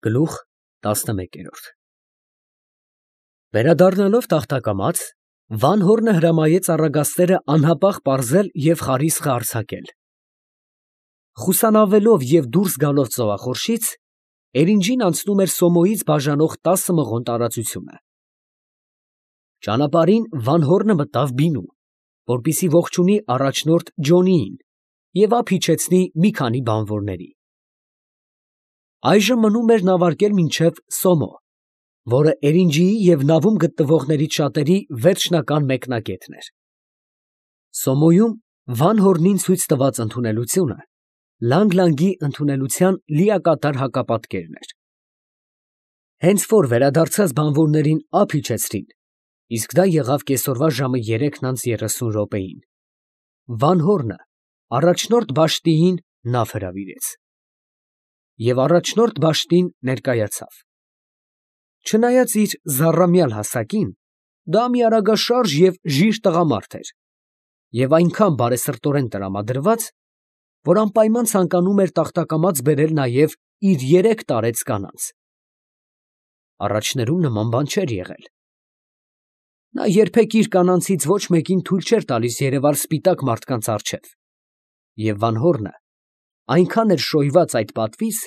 Գլուխ 11 Վերադառնալով տախտակամաց, Վանհորնը հրամայեց առագաստերը անհապաղ պարզել և խարիսխը արձակել։ Խուսանավելով և դուրս գալով ծովախորշից, Էրինջին անցնում էր Սոմոյից բաժանող 10 մղոն տարածությունը։ Ճանապարհին Վանհորնը մտավ բինու, որպեսզի ողջունի առաջնորդ Ջոնիին և ափ իջեցնի մի քանի բանվորների։ Այժմ մնում էր նավարկել մինչև Սոմո, որը Էրինջիի և նավում գտնվողներից շատերի վերջնական մեկնակետն էր։ Սոմոյում Վանհորնին ցույց տված ընդունելությունը Լանգլանգի ընդունելության լիակատար հակապատկերն էր։ Հենց որ վերադարձած բանվորներին ափ իջեցրին, իսկ դա եղավ կեսօրվա ժամը 3:30 Վանհորնը առաջնորդ Բաշտիին նավ հրավիրեց։ Եվ առաջնորդ Բաշտին ներկայացավ։ Չնայած իր զառամյալ հասակին, դա մի արագաշարժ և ժիր տղամարդ էր, և այնքան բարեսրտորեն տրամադրված, որ անպայման ցանկանում էր տախտակամաց բերել նաև իր 3 տարեց կանանց։ Առաջներում նման բան չէր եղել։ Նա երբեք իր կանանցից ոչ մեկին թույլ չէր տալիս երևալ սպիտակ մարդկանց առջև, և Վանհորնը այնքան էր շոյված այդ պատվից,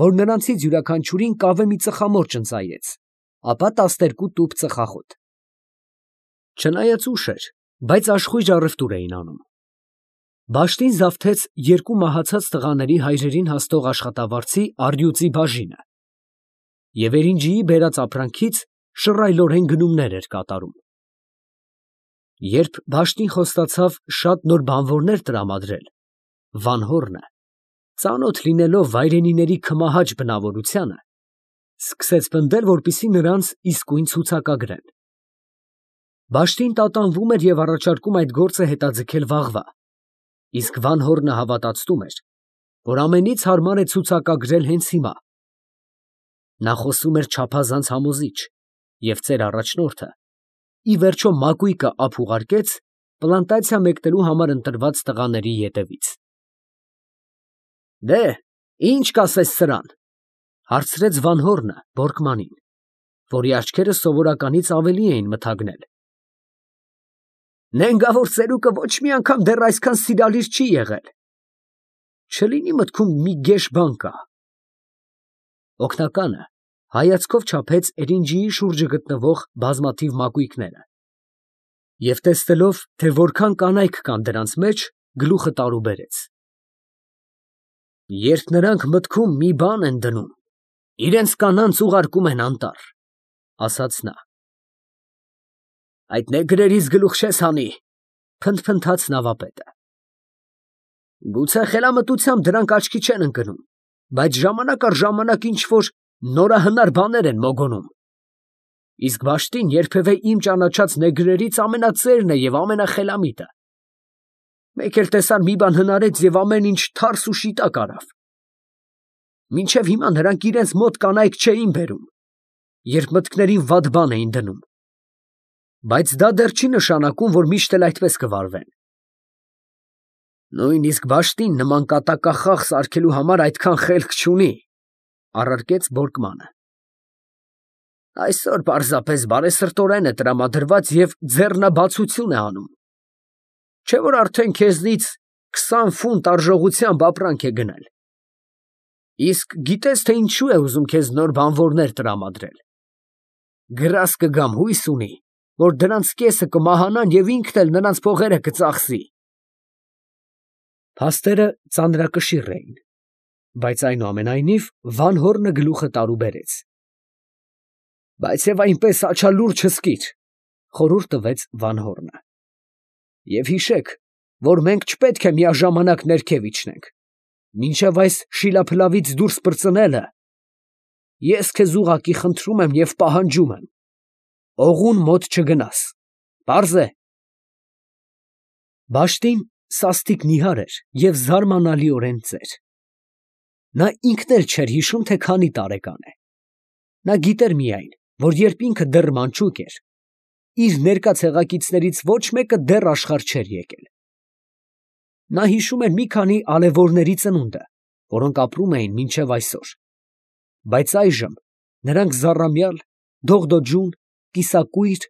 որ նրանցից յուրաքանչյուրին կավե մի ծխամորճ ընծայեց, ապա 12 տուփ ծխախոտ։ Չնայած ուշ էր, բայց աշխույժ առևտուր էին անում։ Բաշտին զավթեց 2 մահացած տղաների հայրերին հասնող աշխատավարձի առյուծի բաժինը և Էրինջիի բերած ապրանքից շռայլորեն գնումներ էր կատարում։ Երբ Բաշտին խոստացավ շատ նոր բանվորներ տրամադրել, Վանհորնը, ծանոթ լինելով վայրենիների քմահաճ բնավորությանը, սկսեց պնդել, որպեսզի նրանց իսկույն ցուցակագրեն։ Բաշտին տատանվում էր և առաջարկում այդ գործը հետաձգել վաղվա, իսկ Վանհորնը հավատացնում էր, որ ամենից հարմար է ցուցակագրել հենց հիմա։ Նա խոսում էր չափազանց համոզիչ, և ծեր առաջնորդը ի վերջո մակույկը ափ ուղարկեց պլանտացիա մեկնելու համար ընտրված տղաների ետևից։ ֊ Ի՞նչ կասես սրան, ֊ հարցրեց Վանհորնը Բորկմանին, որի աչքերը սովորականից ավելի էին մթագնել։ ֊ Նենգավոր ծերուկը ոչ մի անգամ դեռ այսքան սիրալիր չի եղել։ Չլինի մտքում մի գեշ բան կա։ Օգնականը հայացքով չափեց Էրինջիի շուրջը գտնվող բազմաթիվ մակույկները և տեսնելով, թե որքան կանայք կան դրանց մեջ, գլուխը տարուբերեց։ Երբ նրանք մտքում մի բան են դնում, իրենց կանանց ուղարկում են անտառ, ֊ ասաց նա։ Այդ նեգրերից գլուխ չես հանի, ֊ փնթփնթաց նավապետը։ Գուցե խելամտությամբ դրանք աչքի չեն ընկնում, բայց ժամանակ առ ժամանակ ինչ֊որ նորահնար բաներ են մոգոնում։ Իսկ Բաշտին երբևէ իմ ճանաչած նեգրերից ամենածերն է և ամենախելամիտը։ Մեկ էլ տեսար մի բան հնարեց և ամեն ինչ թարս ու շիտակ արավ։ Մինչև հիմա նրանք իրենց մոտ կանայք չէին բերում, երբ մտքներին վատ բան էին դնում, բայց դա դեռ չի նշանակում, որ միշտ էլ այդպես կվարվեն։ Նույնիսկ Բաշտին նման կատակախաղ սարքելու համար այդքան խելք չունի, ֊ առարկեց Բորկմանը։ Այսօր պարզապես բարեսրտորեն է տրամադրված և ձեռնաբացություն է անում, չէ՞ որ արդեն քեզնից 20 ֆունտ արժողությամբ ապրանք է գնել։ Իսկ գիտես, թե ինչու է ուզում քեզ նոր բանվորներ տրամադրել։ Գրազ կգամ հույս ունի, որ դրանց կեսը կմահանան և ինքն էլ նրանց փողերը կծախսի։ Փաստերը ծանրակշիռ էին, բայց այնուամենայնիվ Վանհորնը գլուխը տարուբերեց։ Բայց և այնպես աչալուր չզգիր, ֊ խորհուրդ տվեց Վանհորնը։ Եվ հիշեք, որ մենք չպետք է միաժամանակ ներքև իջնենք, մինչև այս շիլափլավից դուրս պրծնելը, ես քեզ ուղղակի խնդրում եմ և պահանջում եմ, օղուն մոտ չգնաս, պարզ է։ Բաշտին սաստիկ նիհար էր և զարմանալիորեն ծեր։ Նա ինքն էլ չէր հիշում, թե քանի տարեկան է։ Նա գիտեր միայն, որ երբ ինքը դեռ մանչուկ էր, իր ներկա ցեղակիցներից ոչ մեկը դեռ աշխարհ չէր եկել։ Նա հիշում էր մի քանի ալեվորների ծնունդը, որոնք ապրում էին մինչև այսօր, Բայց այժմ նրանք զառամյալ, դողդոջուն, կիսակույր,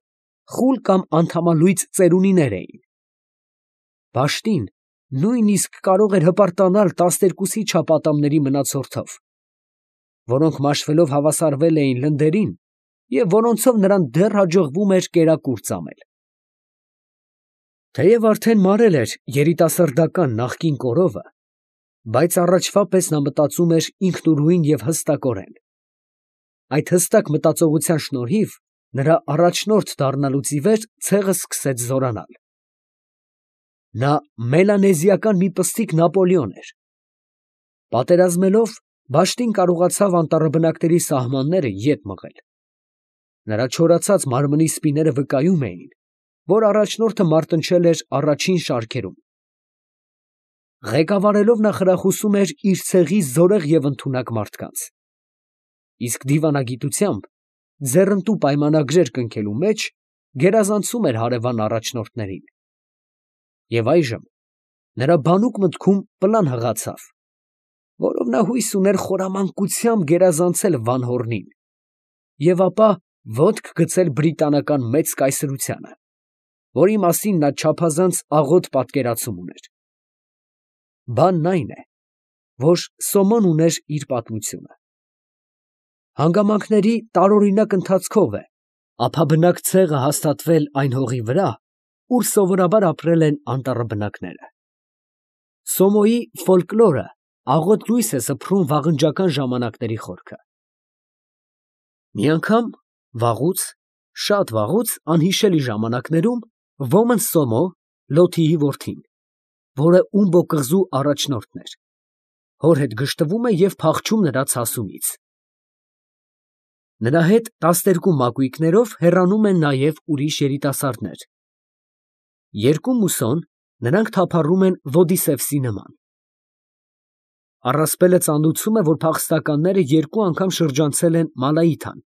խուլ կամ անդամալույծ ծերունիներ էին։ Բաշտին նույնիսկ կարող էր հպարտանալ 12-ի չափ ատամների մնացորդով, որոնք մաշվելով հավասարվել էին լնդերին և որոնցով նրան դեռ հաջողվում էր կերակուր ծամել։ Թեև արդեն մարել էր երիտասարդական նախկին կորովը, բայց առաջվա պես նա մտածում էր ինքնուրույն և հստակորեն։ Այդ հստակ մտածողության շնորհիվ նրա առաջնորդ դառնալուց ի վեր ցեղը սկսեց զորանալ։ Նա մելանեզիական մի պստիկ Նապոլեոն էր։ Պատերազմելով, Բաշտին կարողացավ անտառաբնակների սահմանները ետ մղել։ Նրա չորացած մարմնի սպիները վկայում էին, որ առաջնորդը մարտնչել էր առաջին շարքերում։ Ղեկավարելով նա խրախուսում էր իր ցեղի զորեղ և ընդունակ մարդկանց, իսկ դիվանագիտությամբ, ձեռնտու պայմանագրեր կնքելու մեջ, գերազանցում էր հարևան առաջնորդներին։ Եվ այժմ նրա բանուկ մտքում պլան հղացավ, որով նա հույս ուներ խորամանկությամբ գերազանցել Վանհորնին և ապա ոտք գցել բրիտանական մեծ կայսրությանը, որի մասին նա չափազանց աղոտ պատկերացում ուներ։ Բանն այն է, որ Սոմոն ուներ իր պատմությունը։ Հանգամանքների տարօրինակ ընթացքով է ափաբնակ ցեղը հաստատվել այն հողի վրա, ուր սովորաբար ապրել են անտառաբնակները։ Սոմոյի ֆոլկլորը աղոտ լույս է սփռում վաղնջական ժամանակների խորքը։ Մի անգամ վաղուց, շատ վաղուց անհիշելի ժամանակներում ոմն Սոմո, Լոթիի որդին, որը Ումբո կղզու առաջնորդն էր, հոր հետ գժտվում է և փախչում նրա ցասումից։ Նրա հետ 12 մակույկներով հեռանում են նաև ուրիշ երիտասարդներ։ Երկու մուսոն նրանք թափառում են Ոդիսևսի նման։ Առասպելը ծանուցում է, որ փախստականները երկու անգամ շրջանցել են Մալայիթան,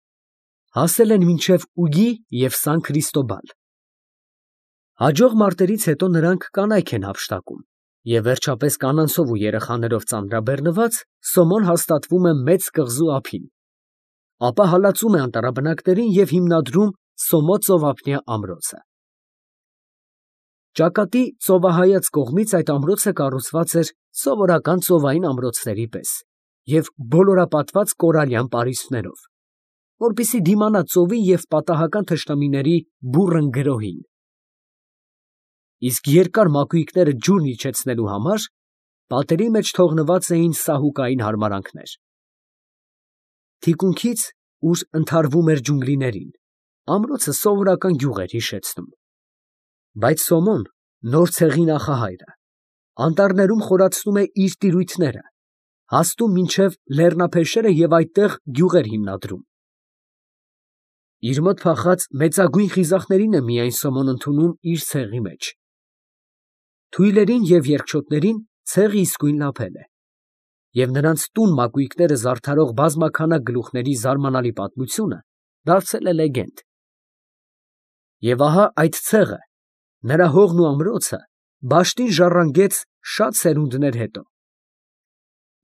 հասել են մինչև Ուգի և Սան Քրիստոբալ։ Հաջող մարտերից հետո նրանք կանայք են հափշտակում, և վերջապես կանանցով ու երեխաներով ծանրաբեռնված Սոմոն հաստատվում է մեծ կղզու ափին, ապա հալածում է անտառաբնակներին և հիմնադրում Սոմո ծովափնյա ամրոցը։ Ճակատի ծովահայաց կողմից այդ ամրոցը կառուցված էր սովորական ծովային ամրոցների պես և բոլորապատված կորալյան պարիսպներով, որպեսզի դիմանա ծովի և պատահական թշնամիների բուռն գրոհին։ Իսկ երկար մակույկները ջուրն իջեցնելու համար պատերի մեջ թողնված էին սահուկային հարմարանքներ։ Թիկունքից, ուր ընդհարվում էր ջունգլիներին, ամրոցը սովորական գյուղ էր հիշեցնում։ Բայց Սոմոն, նոր ցեղի նախահայրը, անտառներում խորացնում է իր տիրույթները, հասնում մինչև լեռնափեշերը և այդտեղ գյուղ էր հիմնադրում։ Իր մոտ փախած մեծագույն խիզախներին է միայն Սոմոն ընդունում իր ցեղի մեջ։ Թույլերին և երկչոտներին ցեղը իսկույն լափել է, և նրանց տուն մակույկները զարդարող բազմաքանակ գլուխների զարմանալի պատմությունը դարձել է լեգենդ։ Եվ ահա այդ ցեղը, նրա հողն ու ամրոցը Բաշտին ժառանգեց շատ սերունդներ հետո։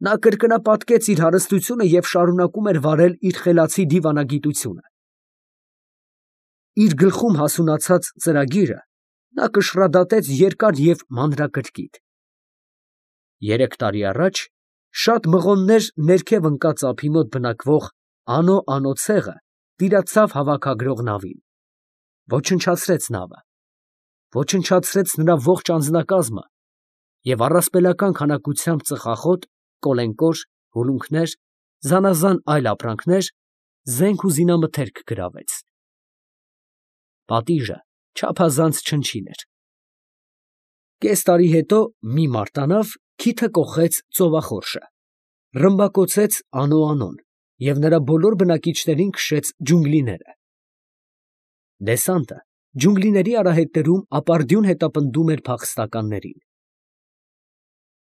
Նա կրկնապատկեց իր հարստությունը և շարունակում էր վարել իր խելացի դիվանագիտությունը։ Իր գլխում հասունացած ծրագիրը նա կշռադատեց երկար և մանրակրկիտ։ 3 տարի առաջ շատ մղոններ ներքև ընկած ափի մոտ բնակվող Անո ցեղը տիրացավ հավաքագրող նավին, ոչնչացրեց նավը, ոչնչացրեց նրա ողջ անձնակազմը և առասպելական քանակությամբ ծխախոտ, կոլենկոր, հուլունքներ, զանազան այլ ապրանքներ, զենք ու զինամթերք գրավեց։ Պատիժը չափազանց չնչին էր։ Կես տարի հետո մի մարտանավ քիթը կոխեց ծովախորշը, ռմբակոծեց Անոն և նրա բոլոր բնակիչներին քշեց ջունգլիները։ Դեսանտը ջունգլիների արահետներում ապարդյուն հետապնդում էր փախստականներին։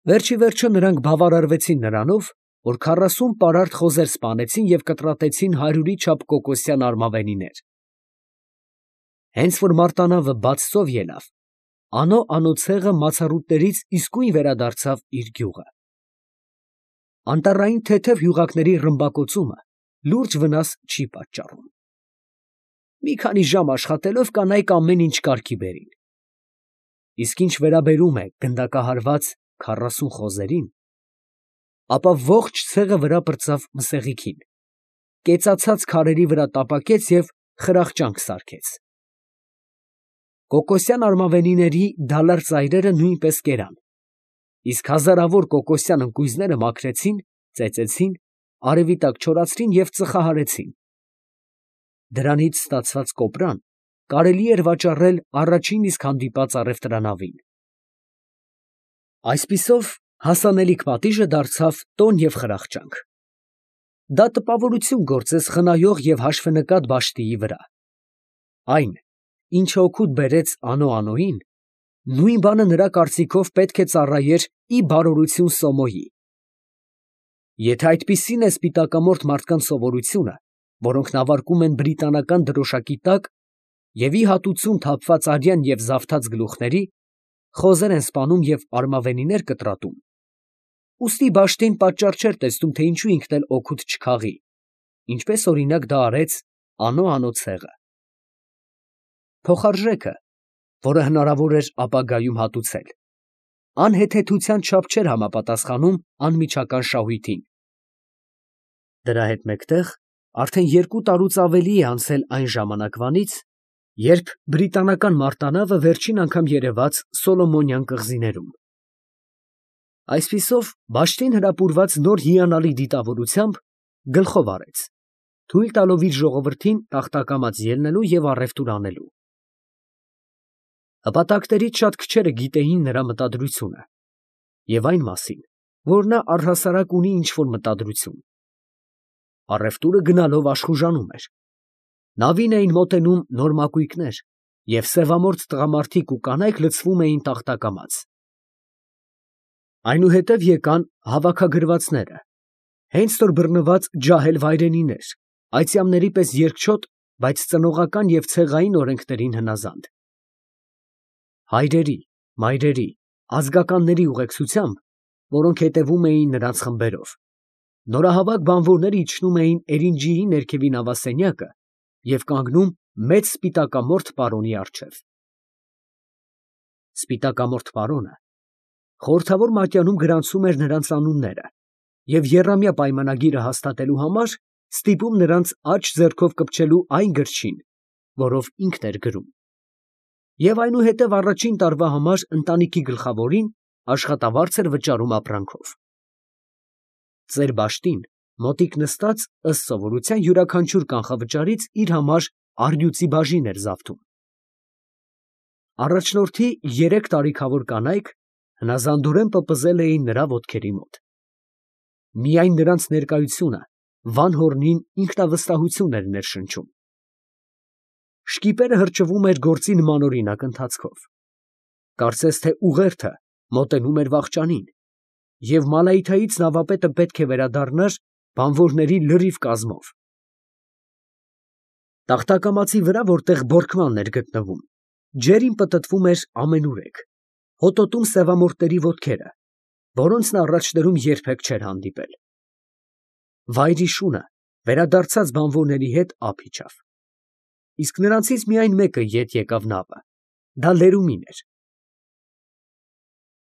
Վերջիվերջո նրանք բավարարվեցին նրանով, որ 40 պարարտ խոզեր սպանեցին և կտրատեցին 100-ի չափ կոկոսյան արմավենիներ։ Հենց որ մարտանավը բաց ծով ելավ, Անո ցեղը մացառուտներից իսկույն վերադարձավ իր գյուղը։ Անտառային թեթև հյուղակների ռմբակոծումը լուրջ վնաս չի պատճառում։ Մի քանի ժամ աշխատելով կանայք ամեն ինչ կարգի բերին։ Իսկ ինչ վերաբերում է գնդակահարված 40 խոզերին, ապա ողջ ցեղը վրա պրծավ մսեղիքին, կեցացած քարերի վրա տապակեց և խրախճանք սարքեց։ Կոկոսյան արմավենիների դալար ծայրերը նույնպես կերան, իսկ հազարավոր կոկոսյան ընկույզները մաքրեցին, ծեծեցին, արևի տակ չորացրին և ծխահարեցին։ Դրանից ստացված կոպրան կարելի էր վաճառել առաջին իսկ հանդիպած առևտրանավին։ Այսպիսով հասանելիք պատիժը դարձավ տոն և խրախճանք։ Դա տպավորություն գործեց խնայող և հաշվենկատ Բաշտիի վրա։ Այն, ինչը օգուտ բերեց Անո Անոյին, նույն բանը նրա կարծիքով պետք է ծառայեր ի բարօրություն Սոմոյի։ Եթե այդպիսին է սպիտակամորթ մարդկանց սովորությունը, որոնք նավարկում են բրիտանական դրոշակի տակ և ի հատուցում թափված արյան և զավթած գլուխների, խոզեր են սպանում և արմավենիներ կտրատում, ուստի Բաշտին պատճառ չէր տեսնում, թե ինչու ինքն էլ օգուտ չքաղի, ինչպես օրինակ դա արեց Անո Անո ցեղը։ Փոխարժեքը, որը հնարավոր էր ապագայում հատուցել, անհեթեթության չափ չէր համապատասխանում անմիջական շահույթին։ Դրա հետ մեկտեղ արդեն 2 տարուց ավելի է անցել այն ժամանակվանից, երբ բրիտանական մարտանավը վերջին անգամ երևաց Սոլոմոնյան կղզիներում։ Այսպիսով Բաշտին հրապուրված նոր հիանալի դիտավորությամբ գլխով արեց, թույլ տալով իր ժողովրդին տախտակամած ելնելու և առևտուր անելու։ Հպատակներից շատ քչերը գիտեին նրա մտադրությունը և այն մասին, որ նա առհասարակ ունի ինչ֊որ մտադրություն։ Առևտուրը գնալով աշխուժանում էր։ Նավին էին մոտենում նոր մակույկներ, և սևամորթ տղամարդիկ ու կանայք լցվում էին տախտակամած։ Այնուհետև եկան հավաքագրվածները, հենց որ բռնված ջահել վայրենիներ, այծյամների պես երկչոտ, բայց ծնողական և ցեղային օրենքներին հնազանդ։ Հայրերի, մայրերի, ազգականների ուղեկցությամբ, որոնք հետևում էին նրանց խմբերով, նորահավաք բանվորները իջնում էին Էրինջիի ներքևի նավասենյակը և կանգնում մեծ սպիտակամորթ պարոնի առջև։ Սպիտակամորթ պարոնը խորհրդավոր մատյանում գրանցում էր նրանց անունները և եռամյա պայմանագիրը հաստատելու համար ստիպում նրանց աջ ձեռքով կպչելու այն գրչին, որով ինքն էր գրում, և այնուհետև առաջին տարվա համար ընտանիքի գլխավորին աշխատավարձ էր վճարում ապրանքով։ Ծեր Բաշտին մոտիկ նստած, ըստ սովորության, յուրաքանչյուր կանխավճարից իր համար առյուծի բաժին էր զավթում։ Առաջնորդի 3 տարիքավոր կանայք հնազանդորեն պպզել էին նրա ոտքերի մոտ։ Միայն նրանց ներկայությունը Վանհորնին ինքնավստահություն էր ներշնչում։ Շկիպերը հրճվում էր գործի նմանօրինակ ընթացքով։ Կարծես թե ուղերձը մոտենում էր վախճանին, և Մալայթայից նավապետը պետք է վերադառնար բանվորների լրիվ կազմով։ Տախտակամածի վրա, որտեղ բորկմանն էր գտնվում, ջերին պտտվում էր ամենուրեք, հոտոտում սևամորթների ոտքերը, որոնց նա առաջներում երբեք չէր հանդիպել։ Վայրի շունը վերադարձած բանվորների հետ ափ իջավ, իսկ նրանցից միայն մեկը ետ եկավ նավը, դա Լերումին էր,